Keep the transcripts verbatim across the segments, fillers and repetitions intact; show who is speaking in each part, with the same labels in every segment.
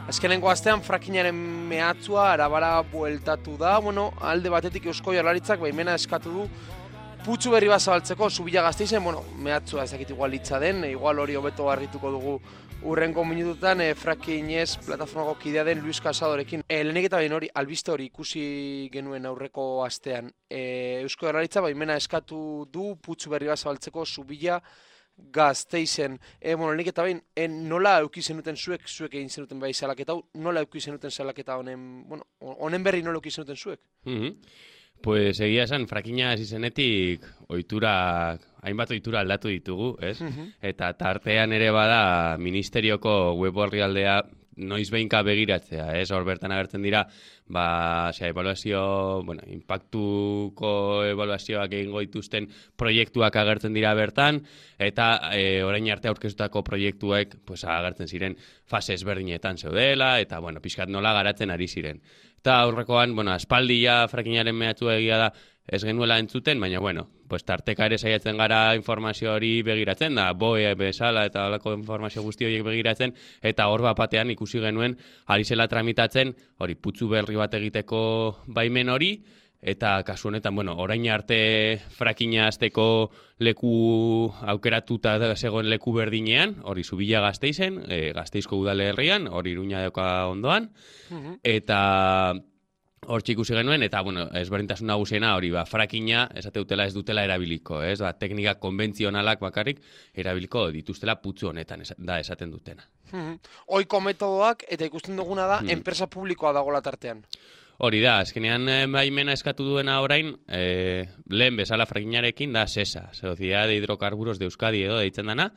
Speaker 1: Azkenengo astean frakinaren mehatzua arabara bueltatu da, bueno, alde batetik Eusko Jaurlaritzak baimena eskatu du putzu berri bat zabaltzeko Zubia Gasteizen, bueno, mehatzua ez dakit igual hitza den, igual hori hobeto harrituko dugu urrengo minututan e, frakinez plataformako kidea den Luis Casadorekin. E, Lehenik eta behin hori, albiste hori ikusi genuen aurreko astean. E, Eusko Jaurlaritza baimena eskatu du putzu berri bat zabaltzeko Zubia Gasteizen. E, bueno, lehenik eta behin, e, nola euki zenuten zuek, zuek egin zenuten bai salaketa hau, nola euki zenuten salaketa honen, bueno, honen berri nola euki zenuten zuek?
Speaker 2: Mm-hmm. Pues egia esan, frakina hasi zenetik ohitura, hainbat ohitura aldatu ditugu, ez? Mm-hmm. Eta tartean ere bada ministerioko web orrialdea noiz behinka begiratzea, ez? Hor bertan agertzen dira, ba, osea, evaluazio, bueno, impactuko evaluazioak egingo dituzten proiektuak agertzen dira bertan, eta e, orain arte aurkeztutako proiektuek, pues, agertzen ziren fase ezberdinetan zeudela, eta, bueno, pixkat nola garatzen ari ziren. Eta aurrekoan, bueno, aspaldia frakinaren mehatxua egia da ez genuela entzuten, baina, bueno, pues tarteka ere saiatzen gara informazio hori begiratzen, da, boe bezala eta halako informazio guzti horiek begiratzen, eta hor batean ikusi genuen ari zela tramitatzen, hori putzu berri bat egiteko baimen hori, eta kasu honetan, bueno, orain arte frakina hasteko leku aukeratuta zegoen leku berdinean, hori Zubia Gasteizen, e, Gasteizko udalerrian, hori Iruña dauka ondoan, uh-huh. Eta hor ikusi genuen, eta, bueno, ezberdintasun nagusiena hori, ba, frakina, esate dutela ez dutela erabiliko, ez, ba, teknika konbentzionalak bakarrik erabiliko dituztela putzu honetan, es, da esaten dutena.
Speaker 1: Uh-huh. Oiko metodoak, eta ikusten duguna da, uh-huh. enpresa publikoa dagoela tartean.
Speaker 2: Hori da, azkenean baimena eskatu duena orain, e, lehen bezala frakinarekin da SESA, Sociedad de Hidrocarburos de Euskadi edo deitzen dana,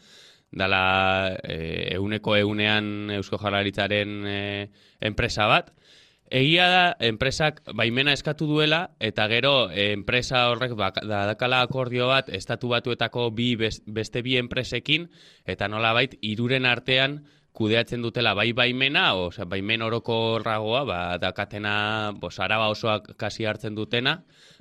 Speaker 2: dala e, euneko eunean Eusko Jaurlaritzaren e, enpresa bat. Egia da, enpresak baimena eskatu duela, eta gero e, enpresa horrek bak, da, dakala akordio bat, estatu batuetako bi beste bi enpresekin, eta nolabait hiruren artean kudeatzen dutela bai baimena, osea, baimen orokorragoa, ba, dakatena, bos, araba osoak kasi hartzen dutena,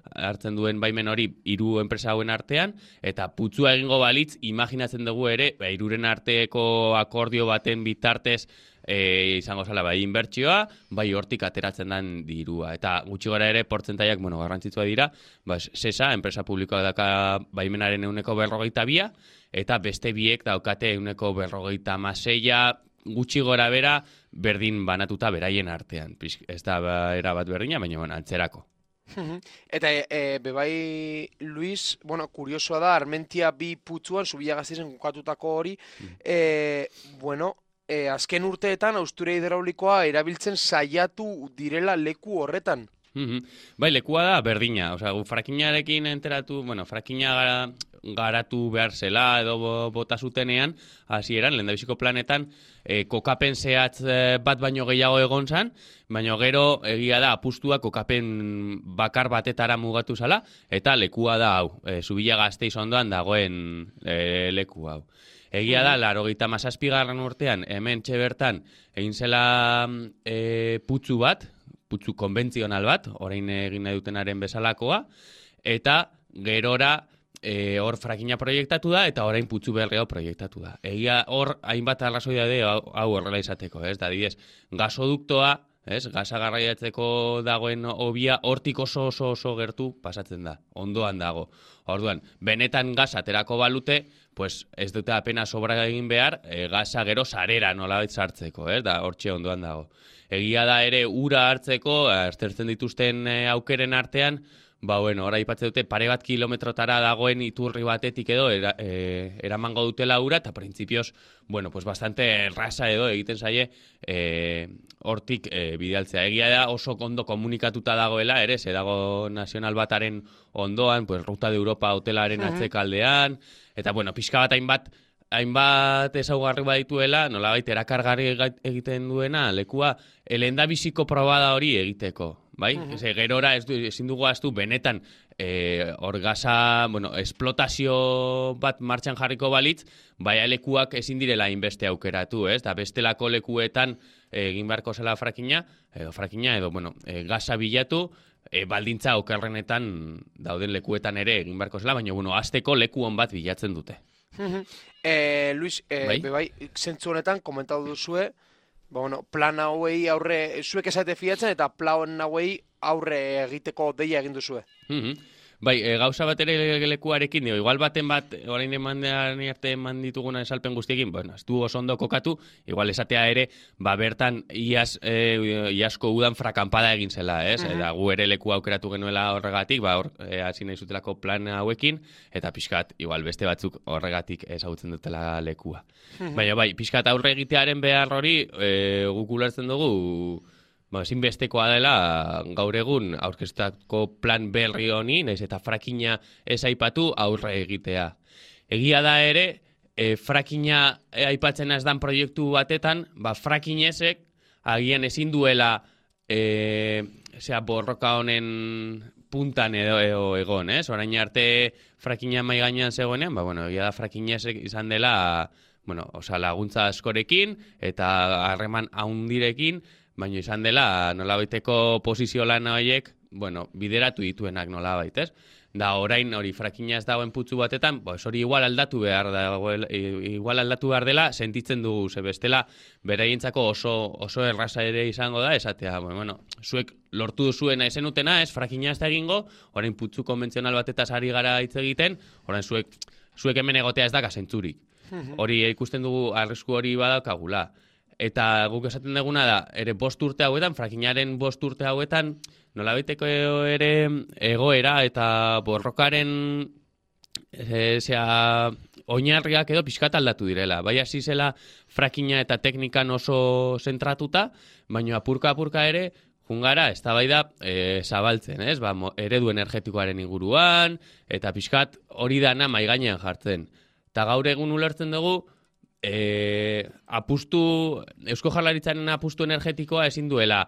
Speaker 2: hartzen duen baimen hori hiru enpresa hauen artean, eta putzua egingo balitz, imaginatzen dugu ere, ba, hiruren arteko akordio baten bitartez, e, izango zala, bai inbertsioa, bai hortik ateratzen den dirua. Eta gutxi gara ere, portzentaiak, bueno, garrantzitsua dira, ba, SESA, enpresa publikoa daka baimenaren euneko berrogeita bia, eta beste biek daukate euneko berrogeita maseia, gutxi gora bera, berdin banatuta beraien artean. Ez da erabat berdina, baina bueno, antzerako.
Speaker 1: Eta e, bebai, Luis, bueno, kuriosoa da, Armentia bi putzuan, Zubia Gasteizen kokatutako hori, e, bueno, e, azken urteetan austura hidraulikoa erabiltzen saiatu direla leku horretan.
Speaker 2: Mm-hmm. Bai, lekua da berdina, osea, frakinarekin enteratu, bueno, frakina gara, garatu behar zela edo bota zutenean, hasieran lehendabiziko planetan, e, kokapen zehatz bat baino gehiago egon zan, baino gero egia da apustua kokapen bakar batetara mugatu zala, eta lekua da hau, e, Zubia Gasteiz ondoan dagoen e, leku hau. Egia da, laurogeita hamazazpigarren urtean, hemen txebertan, egin zela e, putzu bat, putzu konbentzional bat, orain egin nahi dutenaren bezalakoa, eta gerora e, hor frakina proiektatu da, eta orain putzu berri hau proiektatu da. Egia hor, hainbat arrazoia de hau, hau horrela izateko, ez? Da, didez, gasoduktoa, ez? Gasa garraiatzeko dagoen hobia, hortik oso oso oso gertu pasatzen da, ondoan dago. Orduan, benetan gasa aterako balute, pues ez dute apena sobra egin behar, e, gasa gero sarera nolabait sartzeko, ez? Da, hortxe ondoan dago. Egia da ere ura hartzeko, aztertzen dituzten e, aukeren artean, ba, bueno, ora aipatzen dute pare bat kilometrotara dagoen iturri batetik edo era, e, eramango dutela ura, eta printzipioz, bueno, pues bastante erraza edo egiten zaie e, hortik e, bidaltzea. Egia da oso ondo komunikatuta dagoela, ere, ze dago nazional bataren ondoan, pues Ruta de Europa hotelaren atzekaldean, eta, bueno, pixka bat hainbat, hainbat ezaugarri badituela, nolabait erakargarri egiten duena, lekua, lehendabiziko probada hori egiteko. Bai? Uh-huh. Eze, gerora ez du, ezin dugu aztu benetan e, orgasa, bueno, esplotazio bat martxan jarriko balitz, baina lekuak ezin direla inbeste aukeratu, ez? Da bestelako lekuetan egin beharko zela frakina, edo frakina, edo, bueno, e, gasa bilatu, e, baldintza okerrenetan dauden lekuetan ere egin beharko zela, baina, bueno, azteko leku on bat bilatzen dute.
Speaker 1: Uh-huh. eh, Luis, eh, bai? Bebai, zentzu honetan, komentatu duzue, Ba, bueno, plan hauei aurre, zuek esate fiatzen eta plan hauei aurre egiteko deia egin duzue.
Speaker 2: Mhm. Bai, e, gauza bat ere lekuarekin, dio, igual baten bat, orain emandean arte eman dituguna esalpen guztiekin, bueno, ez du oso ondo kokatu, igual esatea ere, ba, bertan iaz, e, iazko udan frakampada egin zela, ez? Mm-hmm. Eta gu ere leku aukeratu genuela horregatik, ba, hor, e, hasi nahi zutelako plan hauekin, eta pixkat, igual beste batzuk horregatik ezagutzen dutela lekua. Mm-hmm. Baina, bai, pixkat aurre egitearen behar hori, e, guk ulertzen dugu, ba, ezinbestekoa dela gaur egun aurkeztutako plan berri honi, naiz eta frakina ez aipatu aurre egitea. Egia da ere, e, frakina aipatzen ez dan proiektu batetan, ba, frakinezek agian ezin duela e, zera, borroka honen puntan edo, edo egon, ez? Orain arte frakina mai gainean zegoenean, ba, bueno, egia da frakinezek izan dela, bueno, oza, laguntza askorekin eta harreman haundirekin, baina izan dela nolabaiteko posizio lan horiek, bueno, bideratu dituenak nolabait, ez? Da orain hori frakina ez dagoen putzu batetan, pues hori igual aldatu behar da, igual aldatu behar dela, sentitzen dugu, ze bestela beraientzako oso oso erraza ere izango da, esatea, bueno, zuek lortu duzuena ezenutena, ez frakina ez da egingo, orain putzu konbentzional batetaz ari gara hitz egiten, orain zuek zuek hemen egotea ez da kasentzurik. Hori ikusten dugu arrisku hori badaukagula. Eta guk esaten duguna da, ere bost urte hauetan, frakinaren bost urte hauetan, nolabaiteko ere egoera eta borrokaren e, zera, oinarriak edo pixkat aldatu direla. Bai hasi zela frakina eta teknikan oso zentratuta, baina apurka-apurka ere, jungara, ez da bai da, e, zabaltzen, ez? Ba, eredu energetikoaren inguruan, eta pixkat hori dana maigainean jartzen. Eta gaur egun ulertzen dugu, E, apustu, Eusko Jaurlaritzaren apustu energetikoa ezin duela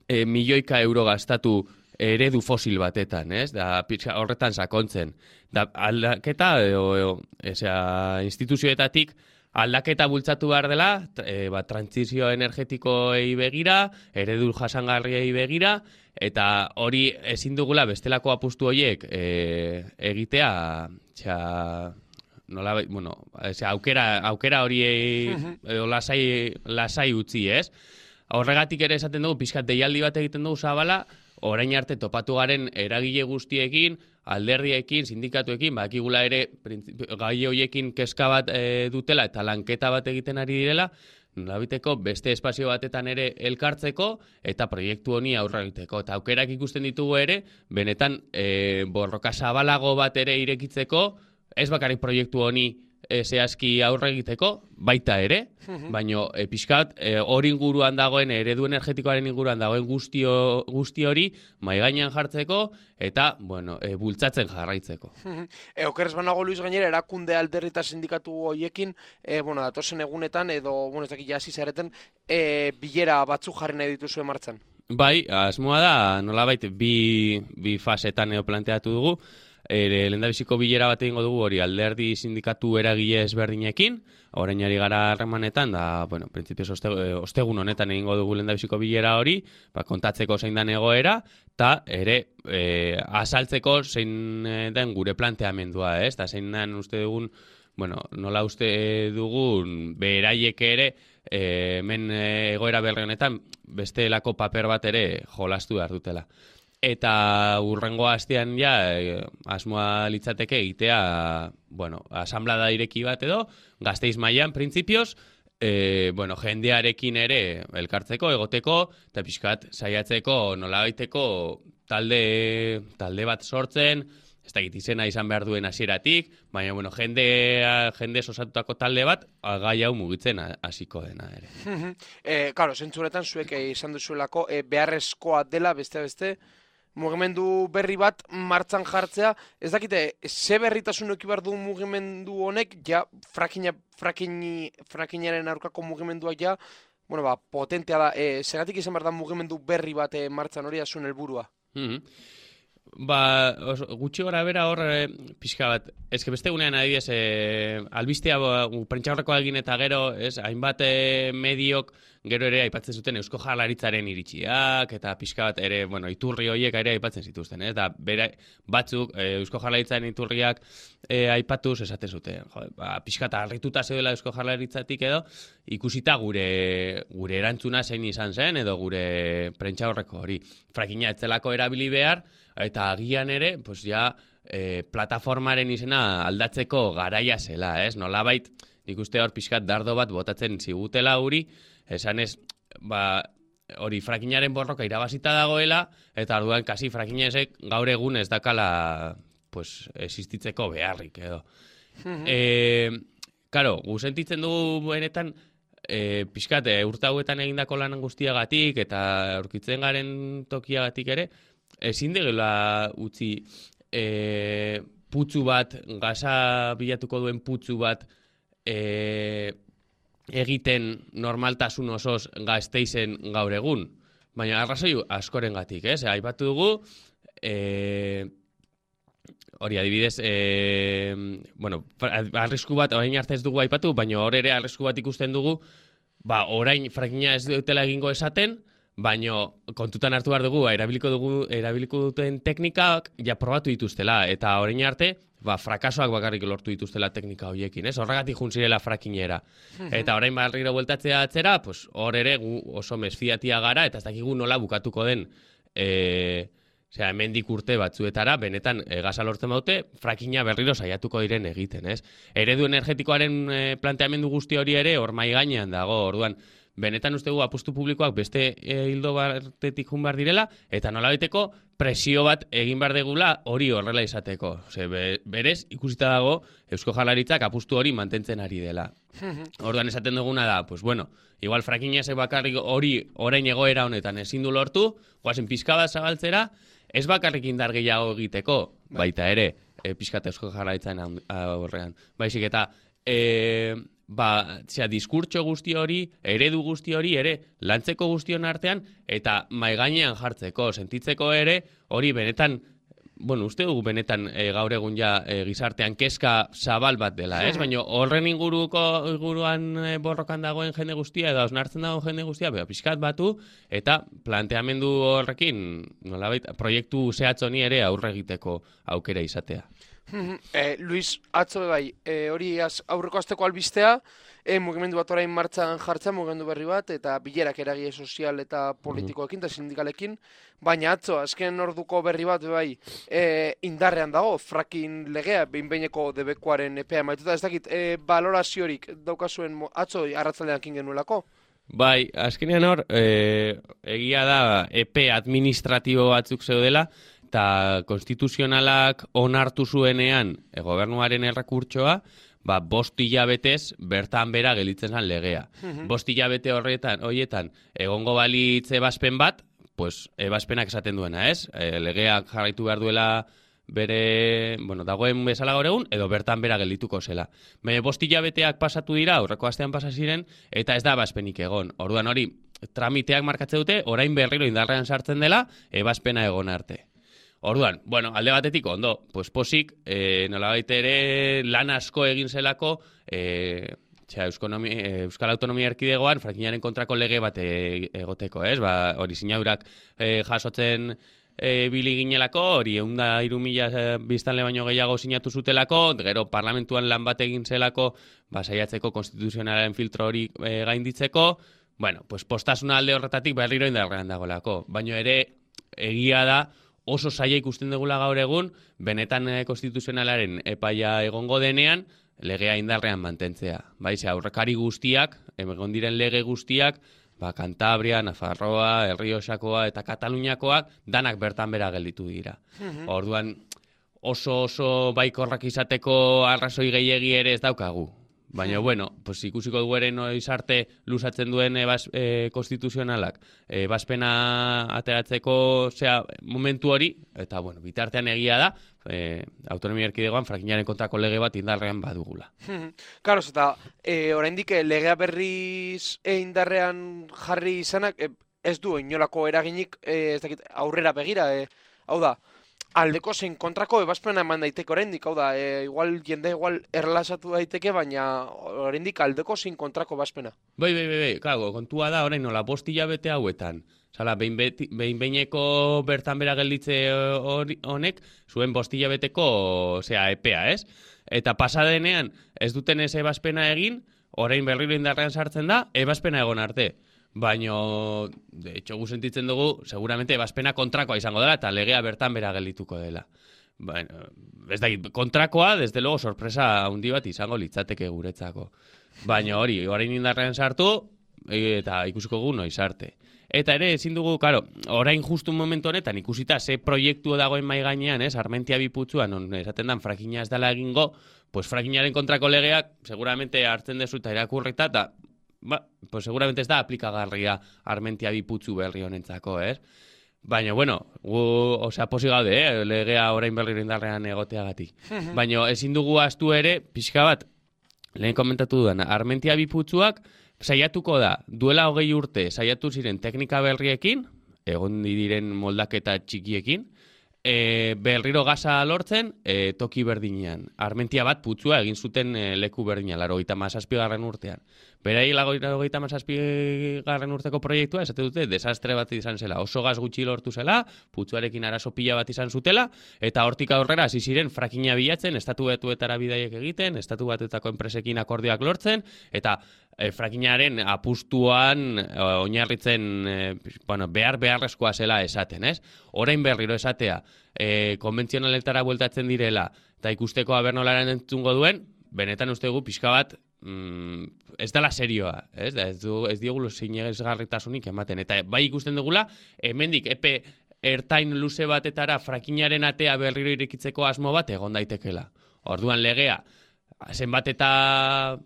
Speaker 2: e, milioika euro gastatu eredu fosil batetan, ez? Da, horretan sakontzen. Da, aldaketa, edo, edo, ezea, instituzioetatik aldaketa bultzatu behar dela, e, ba, trantsizio energetikoei begira, eredu jasangarriei begira, eta hori ezin dugula bestelako apustu horiek e, egitea, txa, nola, bueno, ese, aukera, aukera hori edo lasai, lasai utzi, ez? Horregatik ere esaten dugu, pixkat deialdi bat egiten dugu zabala, orain arte topatu garen eragile guztiekin, alderdiekin, sindikatuekin, bakigula ere gai horiekin kezka bat e, dutela eta lanketa bat egiten ari direla, nolabiteko beste espazio batetan ere elkartzeko eta proiektu honi aurre egiteko. Eta aukerak ikusten ditugu ere, benetan e, borroka zabalago bat ere irekitzeko, ez bakarrik proiektu honi e, zehazki aurre egiteko, baita ere, baina e, pixkat hori e, inguruan dagoen, eredu energetikoaren inguruan dagoen guztio, guzti hori maigainean jartzeko eta bueno, e, bultzatzen jarraitzeko.
Speaker 1: e, okerrez banago Luis gainera, erakunde alderri eta sindikatu horiekin, e, bueno, datozen egunetan, edo, bueno, ez dakit jasi zareten, e, bilera batzuk jarri nahi dituzue martxan.
Speaker 2: Bai, asmoa da, nolabait, bi, bi fasetan edo planteatu dugu, E, lehendabiziko bilera bat egingo dugu hori alderdi sindikatu eragile ezberdinekin, orain ari gara harremanetan, da, bueno, printzipioz oste, ostegun honetan egingo dugu lehendabiziko bilera hori, ba, kontatzeko zein den egoera, eta ere e, azaltzeko zein den gure planteamendua, ez? Da, zein den uste dugun, bueno, nola uste dugun beraiek ere, e, hemen egoera berri honetan, bestelako paper bat ere jolastu behar dutela. Eta urrengo astean ja, e, asmoa litzateke egitea, bueno, asamblada ireki bat edo, Gasteiz mailan printzipioz, e, bueno, jendearekin ere elkartzeko, egoteko, eta pixkat saiatzeko nolabaiteko talde, talde bat sortzen, ez dakit izena izan behar duen hasieratik, baina, bueno, jende, jende osatutako talde bat, gai hau mugitzen hasiko dena ere.
Speaker 1: e, Karo, zentzuretan zuek izan duzuelako e, beharrezkoa dela beste-beste, mugimendu berri bat martxan jartzea, ez dakite, ze berritasun eki behar du mugimendu honek, ja, frakina, frakini, frakinaren aurkako mugimenduak ja, bueno, ba, potentea da, e, segatik izan behar da mugimendu berri bat e, martxan hori azun helburua.
Speaker 2: Mm-hmm. Ba, oso, gutxi gora bera hor, e, pixka bat, ezke beste gunean adibidez, e, albistea prentxaurrekoa egin eta gero, ez, hainbat e, mediok gero ere aipatzen zuten Eusko Jaurlaritzaren iritsiak, eta pixka bat ere, bueno, iturri horiek ere aipatzen zituzten, ez? Da, bera, batzuk, e, Eusko Jaurlaritzaren iturriak e, aipatuz esaten zuten, jo, ba, pixka eta harrituta zeudela Eusko Jaurlaritzatik edo, ikusita gure, gure erantzuna zein izan zen, edo gure prentsa horreko hori. Frakina etzelako erabili behar, eta agian ere, pues ja, e, plataformaren izena aldatzeko garaia zela, ez? Nolabait, nik uste hor pixkat dardo bat botatzen zigutela huri, esan ez, ba, hori frakinaren borroka irabazita dagoela, eta orduan kasi frakinezek gaur egun ez dakala, pues, existitzeko beharrik, edo. e, Karo, gu sentitzen dugu benetan, e, pixkat, e, urte hauetan egindako lan guztiagatik, eta aurkitzen garen tokiagatik ere, ezin degela utzi e, putzu bat, gaza bilatuko duen putzu bat, E, egiten normaltasun osoz Gasteizen gaur egun. Baina arrazoi askorengatik, ez? Aipatu dugu, e, hori adibidez, e, bueno, arrisku bat, orain arte ez dugu aipatu, baina hor ere arrisku bat ikusten dugu, ba, orain frakina ez dutela egingo esaten, baina kontutan hartu behar dugu, erabiliko dugu, erabiliko duten teknikak ja probatu dituztela, eta orain arte, ba, frakasoak bakarrik lortu dituztela teknika horiekin, ez? Horregatik juntzirela frakinera. Eta orain barriro bueltatzea atzera, pues, hor ere gu oso mesfiatia gara, eta ez dakigu nola bukatuko den, e, osea, hemendik urte batzuetara, benetan e, gaza lortzen baute, frakina berriro saiatuko diren egiten, ez? Eredu energetikoaren e, planteamendu guzti hori ere hor mai gainean dago, orduan, benetan uste gu apustu publikoak beste e, hildo batetik jun behar direla, eta nolabaiteko presio bat egin behar degula hori horrela izateko. Ose, be, berez, ikusita dago Eusko Jaurlaritzak apustu hori mantentzen ari dela. Orduan esaten duguna da, pues bueno, igual frakinezek bakarrik hori orain egoera honetan ezin du lortu, goazen pixka bat zabaltzera, ez bakarrik indar gehiago egiteko, baita ere, e, pixka Eusko Jaurlaritzaren aurrean. Baizik eta, e, ba, zera, diskurtso guzti hori, eredu guzti hori ere, lantzeko guztion artean, eta maigainean jartzeko, sentitzeko ere, hori benetan, bueno, uste dugu benetan e, gaur egun ja e, gizartean kezka zabal bat dela, ez? Baina horren inguruko inguruan e, borrokan dagoen jende guztia, edo osnartzen dagoen jende guztia, beha, pixkat batu, eta planteamendu horrekin, nolabait, proiektu zehatz honi ere aurre egiteko aukera izatea.
Speaker 1: Eh, Luis, atzo bai, eh, hori az, aurreko asteko albistea, eh, mugimendu bat orain martxan jartzea, mugimendu berri bat, eta bilerak eragile sozial eta politikoekin eta sindikalekin, baina atzo, azken orduko berri bat bai, eh, indarrean dago, fracking legea, behin-behineko debekuaren epea maituta, ez dakit, eh, baloraziorik daukazuen atzo arratzaldean kin genuelako?
Speaker 2: Bai, azkenean hor, eh, egia da, epe administratibo batzuk zeudela, eta konstituzionalak onartu zuenean e, gobernuaren errekurtsoa, ba, bost hilabetez bertan bera gelitzen zen legea. Mm-hmm. Bost hilabete horretan, horietan, egongo balitz ebazpen bat, pues, ebazpenak esaten duena, ez? E, legeak jarraitu behar duela bere, bueno, dagoen bezala gaur egun, edo bertan bera geldituko zela. Baina bost hilabeteak pasatu dira, aurreko astean pasa ziren, eta ez da ebazpenik egon. Orduan hori, tramiteak markatze dute, orain berriro indarrean sartzen dela, ebazpena egon arte. Orduan, bueno, alde batetik ondo, pues posik, e, nolabait ere lan asko egin zelako, e, txea, Euskal Autonomia Erkidegoan frakinaren kontrako lege bat egoteko, ez? Ba, hori sinadurak e, jasotzen e, bili ginelako, hori eunda hiru mila biztanle baino gehiago sinatu zutelako, gero parlamentuan lan bat egin zelako, ba, saiatzeko konstituzionalaren filtro hori e, gainditzeko, bueno, pues postasuna alde horretatik berriro indarrean dagoelako, baino ere egia da, oso zaila ikusten dugula gaur egun, benetan e, konstituzionalaren epaia egongo denean, legea indarrean mantentzea. Bai, ze aurrekari guztiak, egon diren lege guztiak, ba, Kantabria, Nafarroa, Errioxakoa eta Kataluniakoak, danak bertan bera gelditu dira. Mm-hmm. Orduan, oso oso baikorrak izateko arrazoi gehiegi ere ez daukagu. Baina, bueno, pues, ikusiko dugu ere noiz arte luzatzen duen ebaz, e, konstituzionalak ebazpena ateratzeko zea, momentu hori, eta, bueno, bitartean egia da, e, Autonomia Erkidegoan frakinaren kontrako lege bat indarrean badugula.
Speaker 1: Karo, eta e, oraindik legea berriz e, indarrean jarri izanak, e, ez du inolako eraginik e, ez dakit, aurrera begira, e, hau da, aldeko zein kontrako ebazpena eman daiteke oraindik, hau da, e, igual jende igual erlasatu daiteke, baina oraindik aldeko zein kontrako ebazpena.
Speaker 2: Bai, bai, bai, bai, claro, kontua da orain nola bost hilabete hauetan. Zala, behin behineko bertan bera gelditze honek, zuen bost hilabeteko, osea, epea, ez? Eta pasadenean ez duten ez ebazpena egin, orain berriro indarrean sartzen da, ebazpena egon arte. Baina, de hecho, gu sentitzen dugu, seguramente ebazpena kontrakoa izango dela, eta legea bertan bera geldituko dela. Bueno, ez da, kontrakoa, desde luego, sorpresa handi bat izango litzateke guretzako. Baina hori, orain indarrean sartu, eta ikusiko gu noiz arte. Eta ere, ezin dugu, karo, orain justu momentu honetan ikusita ze proiektu dagoen mai gainean, ez, Armentia Biputzuan, non esaten dan frakina ez dela egingo, pues frakinaren kontrako legeak, seguramente hartzen dezu eta irakurrita, eta, ba, pues seguramente ez da aplikagarria Armentia Biputzu berri honentzako, ez? Baina, bueno, gu, osea, posi gaude, eh, legea orain berri indarrean egoteagatik. Baina ezin dugu astu ere, pixka bat, lehen komentatu dudan, Armentia Biputzuak, saiatuko da, duela hogei urte saiatu ziren teknika berriekin, egon diren moldaketa txikiekin, e, berriro gaza lortzen e, toki berdinean. Armentia bat putzua egin zuten e, leku berdinean, laurogeita hamazazpigarren urtean. Berai laurogeita hamazazpigarren urteko proiektua, esate dute, desastre bat izan zela, oso gaz gutxi lortu zela, putzuarekin arazo pila bat izan zutela, eta hortik aurrera hasi ziren frakina bilatzen, estatu batuetara bidaiek egiten, estatu batuetako enpresekin akordioak lortzen, eta e, frakinaren apustuan e, oinarritzen e, bueno, behar beharrezkoa zela esaten, ez? Orain berriro esatea, e, konbentzionaletara bueltatzen direla, eta ikusteko abernolaren entzungo duen, benetan uste dugu pixka bat, mm, ez dela serioa, ez, da, ez, du, ez diogulu sinesgarritasunik ematen. Eta bai ikusten dugula, hemendik epe ertain luze batetara frakinaren atea berriro irekitzeko asmo bat egon daitekela. Orduan legea, zenbat eta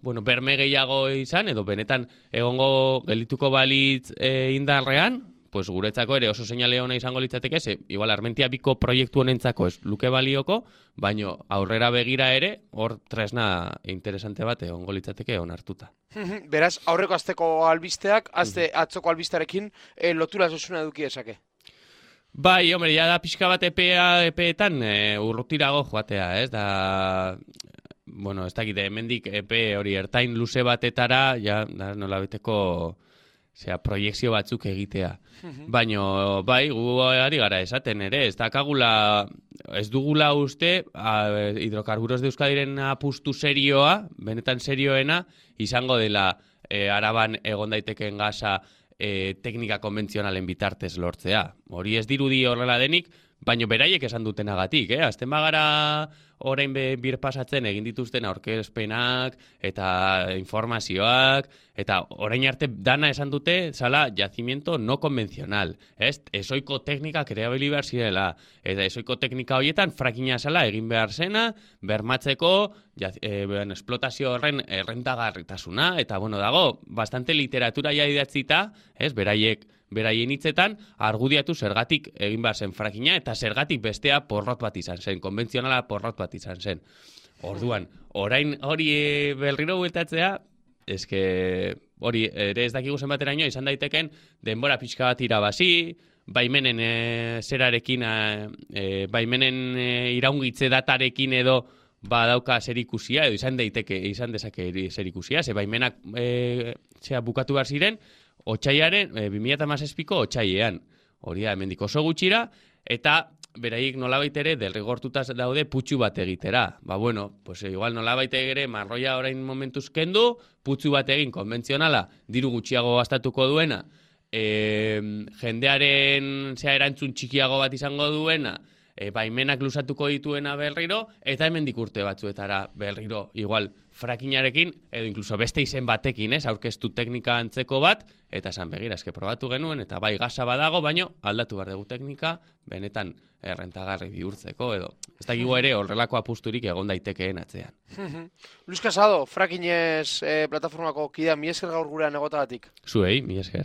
Speaker 2: bueno, berme gehiago izan, edo benetan egongo geldituko balitz e, indarrean, pues guretzako ere oso seinale ona izango litzateke, ze igual Armentia Biko proiektu honentzako ez luke balioko, baino aurrera begira ere hor tresna interesante bat egongo litzateke onartuta.
Speaker 1: Beraz, aurreko asteko albisteak, azte atzoko albistearekin e, lotura zuzuna eduki esake.
Speaker 2: Bai, hombre, ja da pixka bat epea, epeetan e, urrutirago joatea, ez da... Bueno, ez dakite, hemendik epe hori ertain luze batetara, ja, da, nola beteko... Osea, proiekzio batzuk egitea. Baina, bai, gu ari gara esaten ere, ez dakagula, ez dugula uste, a, hidrokarburos de Euskadiren apustu serioa, benetan serioena, izango dela e, Araban egon daitekeen gaza e, teknika konbentzionalen bitartez lortzea. Hori ez dirudi horrela denik, baina beraiek esan dutenagatik, eh? Azten bagara orain bir pasatzen egin dituzten aurkezpenak eta informazioak, eta orain arte dana esan dute zala yacimiento no konbentzional, ez? Ezoiko teknika kreabili behar zirela, eta ezoiko teknika horietan frakina zala egin behar zena, bermatzeko e, ben, esplotazio horren errentagarritasuna, eta bueno, dago, bastante literatura ja idatzita, ez? Beraiek beraien hitzetan, argudiatu zergatik egin behar zen frakina, eta zergatik bestea porrot bat izan zen, konbentzionala porrot bat izan zen. Orduan, orain hori berriro bueltatzea, eske hori ere ez dakigu zenbateraino izan daiteken denbora pixka bat irabazi, baimenen e, zerarekin, e, baimenen e, iraungitze datarekin edo badauka zerikusia, edo izan daiteke, izan dezake zerikusia, ze baimenak e, zera bukatu behar ziren, Otsaiaren, e, bi mila hamazazpiko otsailean, hori da, hemendik oso gutxira, eta beraiek nolabait ere derrigortuta daude putxu bat egitera. Ba, bueno, pues igual nolabait ere marroia orain momentuz kendu, putxu bat egin konbentzionala, diru gutxiago gastatuko duena, e, jendearen zea erantzun txikiago bat izango duena, e, baimenak luzatuko dituena berriro, eta hemendik urte batzuetara berriro, igual, frakinarekin, edo inkluso beste izen batekin, ez, aurkeztu teknika antzeko bat, eta esan begira, eske probatu genuen, eta bai gaza badago, baino aldatu behar dugu teknika, benetan errentagarri bihurtzeko, edo ez dakigu ere horrelako apusturik egon daitekeen atzean.
Speaker 1: Luis Casado, frakinez eh, plataformako kidea, mi esker gaur gurean egotagatik.
Speaker 2: Zuei, mi esker.